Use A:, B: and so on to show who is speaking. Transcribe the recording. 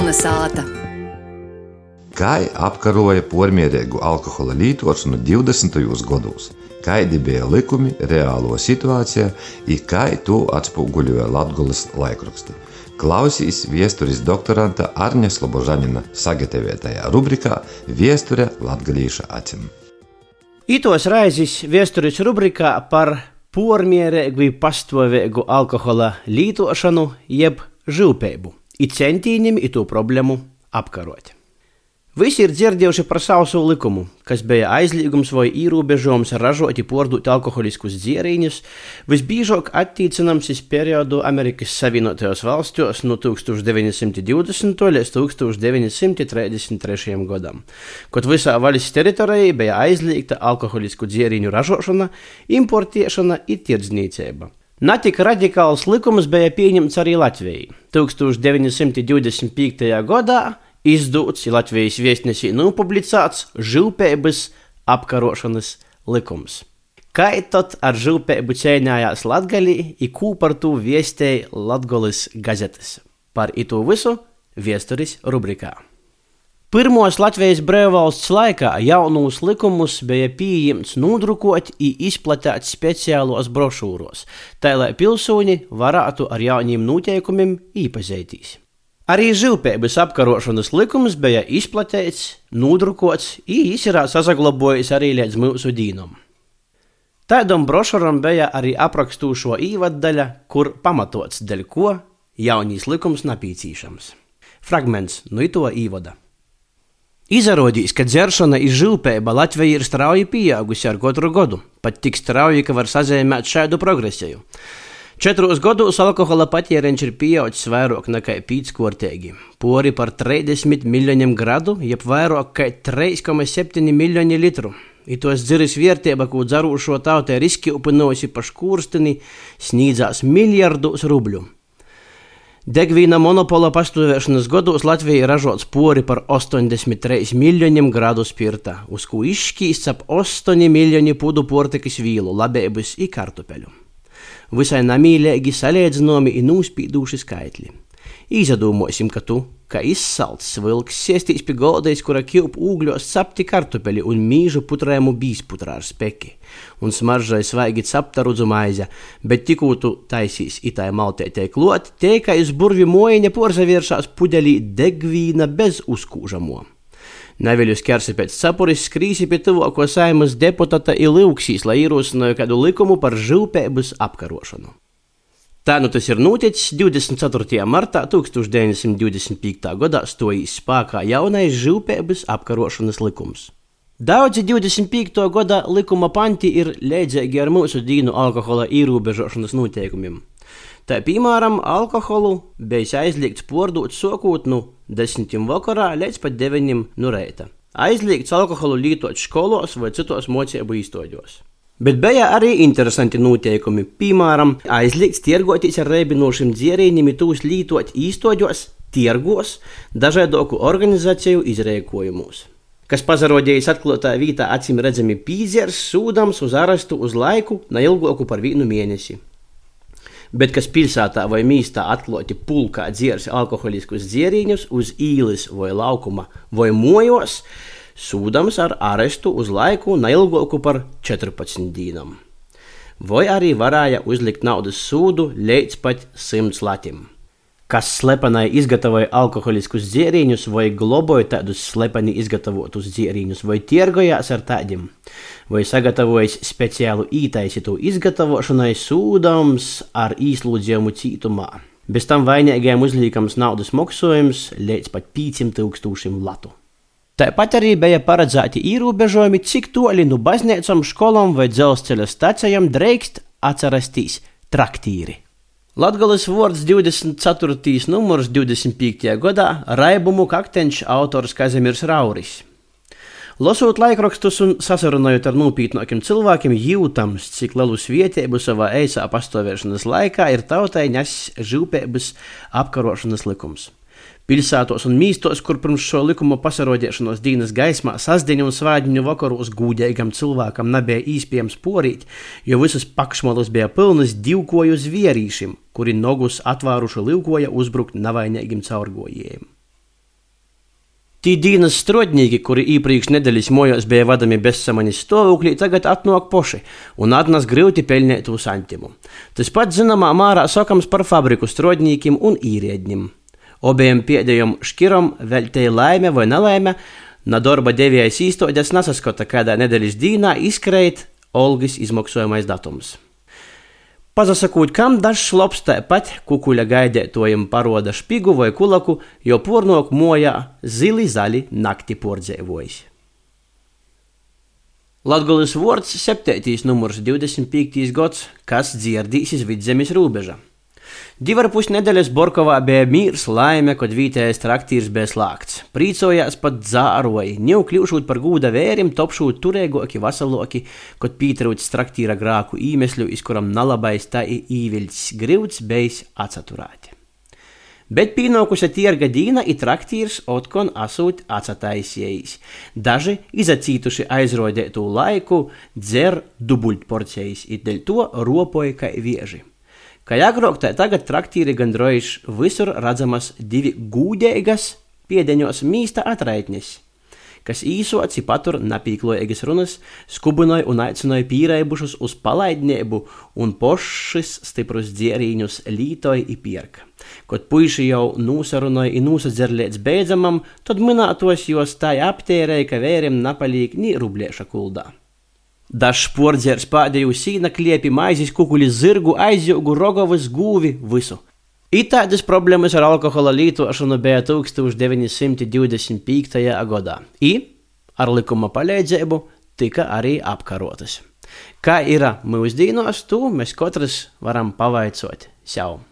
A: Kalnasāta.
B: Kai apkaroja pormierīgu alkohola lītošanu 20. gados, kaidi bija likumi reālo situācijā i kai to atspūguļoja Latgolas laikraksti. Klausīs viesturis doktoranta Arņa Slobožanina sagatavotajā rubrikā Viesture latgalīša acim.
C: Itos raizis viesturis rubrikā par pormierīgu pastāvīgu alkohola lītošanu jeb žilpeibu i centīnim i to problēmu apkarot. Visi ir dzirdējuši par sausu likumu, kas bija aizliegums vai ierobežojums ražot i pārdot alkoholiskus dzērīņus, visbiežāk attiecināms uz periodu Amerikas Savienotajos valstijos no 1920. līdz 1933. gadam, kad visā valsts teritorijā bija aizliegta alkoholisku dzērīņu ražošana, importēšana i tirdzniecība. Natik radikāls likums bija pieņemts arī Latvijai. 1925. gadā izdūts Latvijas viestnesī nopublicēts žilpeibas apkarošanas likums. Kai tad ar žilpeibu cīnījās Latgalī i kū par to viestēja Latgolas gazetes. Par itu visu viesturis rubrikā. Pirmos Latvijas brīvvalsts laikā jaunūs likumus bija pieejams nodrukot i izplatēt speciālos brošūros, tā lai pilsoņi varētu ar jauniem noteikumiem iepazīties. Arī žilpeibas apkarošanas likums bija izplatīts, nodrukots i izsirā sasaglabojis arī līdz mūsu dīnam. Tādam brošuram bija arī aprakstūšo īvaddaļa, kur pamatots, dēļ ko jaunīs likums napīcīšams. Fragments no ito īvada. Izrādījās, ka dzeršana i žilpeiba Latvijā ir strauji pieaugusi ar katru gadu, pat tik strauji, ka var sazīmēt šādu progresiju. 4 gados alkohola patēriņš ir pieaudzis vairāk nekā 5-kārtīgi, pori par 30 miljoniem gradu, jeb vairāk kā 3,7 miljoni litru. I tos dziris vērtība, ko dzerošo tautai riskīpinosi pa škūrsteni, sniedzās miljardos rubļu. Degvīna monopola pastāvēšanas gados Latvijā ražots pori par 83 miljoniem gradu spirta, uz ko izšķīsts ap 8 miljoni pudu portikas vīlu, labības i kartupeļu. Visai namīlēgi salīdzinomi i nūspīdūši skaitļi. Izdomāsim, ka tu, kā izsalts vilks, siestīs pie goldais, kura kilp ūgļos capti kartupeli un mīžu putrējumu bīsputrā ar speki, un smaržai svaigi capta rudzu maize, bet tikū tu taisīs itai maltētei klot, teika iz burvi mojiņa porzavieršās pudelī degvīna bez uzkūžamo. Neviļus kersi pēc sapuris skrīsi pie tuvāko Saeimas deputata i lūksīs, lai ierosināja kādu likumu par žilpeibas apkarošanu. Tā nu tas ir noticis 24. martā 1925. gadā stojīs spēkā jaunais žilpeibas apkarošanas likums. Daudzi 25. gada likuma panti ir līdzīgi ar mūsu dīnu alkohola ierobežošanas noteikumiem. Tā, piemēram, alkoholu bija aizliegts pārdot sākot no 10 vakarā līdz pat 9 no rīta. Aizliegts alkoholu lietot skolos vai citos mocību īstoģos. Bet bija arī interesanti noteikumi. Piemēram, aizliegts tirgoties ar reibinošiem dzērīņiem tūs lietot īstoģos, tirgos, dažādoku organizāciju izrēkojumos. Kas pazarodījis atklātā vītā acīm redzami pīdzers, sūdams uz arestu uz laiku neilgāku par 1 mēnesi. Bet kas pilsētā vai mīstā atklāti pulkā dzērs alkoholiskus dzērīņus uz īles vai laukuma vai mojos, sūdams ar arestu uz laiku neilgāku par 14 dīnam. Vai arī varēja uzlikt naudas sūdu līdz pat 100 latim. Kas slepenai izgatavoja alkoholiskus dzērīņus vai globoja tādus slepeni izgatavotus dzērīņus vai tirgojās ar tādiem, vai sagatavojas speciālu ītaisītu izgatavošanai sūdams ar īslūdzījumu cītumā. Bez tam vainīgajiem uzliekams naudas maksājums līdz pat 5,000 latu. Tāpat arī bija paredzēti ierobežojumi, cik toli no baznīcām, skolām vai dzelzceļa stacijām drīkst atrasties traktīri. Latgolas vārds 24. numurs 25. gadā raibumu kakteņš autors Kazimirs Rauris. Lasot laikrakstus un sasarunājot ar nopietnākiem cilvēkiem, jūtams, cik lielus vietēbu savā eisā pastāvēšanas laikā ir tautai nesis žilpeibas apkarošanas likums. Pilsētos un mīstos, kur pirms šo likuma pasarodiešanos dīnas gaismā sasdiņu un svādiņu vakaros gūdīgam cilvēkam nebija īspējams porīt, jo visas pakšmolas bija pilnas divkoju zvierīšiem, kuri nogus atvēruši livkoja uzbrukt navainīgiem caurgojējiem. Tī dīnas strodnīki, kuri īpriekš nedēļas mojos bija vadami bezsamanis stāvoklī, tagad atnāk poši un atnes grūti pelnītu santimu. Tas pats zināmā mārā sakams par fabriku strodnīkim un īriedņim. Obiem pēdējiem škiram vēl te laime vai nelaime, na darba devējais īstoģes nesaskota, kādā nedēļas dīnā izkreit algas izmaksājumais datums. Pazasakūt, kam dažs lops tāpat kukuļa gaidētojiem paroda špigu vai kulaku, jo pornok mojā zili zali nakti pordzēvojis. Latgolis vords 7. numurs 25. gads, kas dzirdīs iz Vidzemes rūbeža. 2,5 nedēļas Borkovā bija mīrs laime, kad vītējais traktīrs bija slāgts. Prīcojās pat dzāroji, jau kļūšūt par gūda vērim, topšūt turēgoki, vasaloki, kad pītrūts traktīra grāku īmesļu, iz kuram nalabais tā īviļts grivds bejs atsaturāti. Bet pīnaukusi tierga dīna i traktīrs otkon asūt atsataisējis. Daži izacītuši aizrodētū laiku dzer dubultporcejis, i dēļ to ropoja kai vieži. Kā agrāk, tā tagad traktīri gandrojuši visur redzamas 2 gūdeigas piedeņos mīsta atraitnis, kas īsoci patur napīklojegas runas, skubinoja un aicinoja pīraibušus uz palaidniebu un pošis stiprus dzierīņus lītoja i pierka. Kad puiši jau nūsarunoja i nūsadzerlēts beidzamam, tad minētos jos tā aptērēja, ka vērim napalīk ni rublieša kuldā. Dažs pordzērs pādēju sīna kliepi, maizis, kukuļi, zirgu, aizjūgu, rogovus, gūvi, visu. Itādas problēmas ar alkohola lietošanu bija 1925. gadā. I ar likuma palīdzību tika arī apkarotas. Kā ir mūsdīnos, to mēs katrs varam pavaicot sev.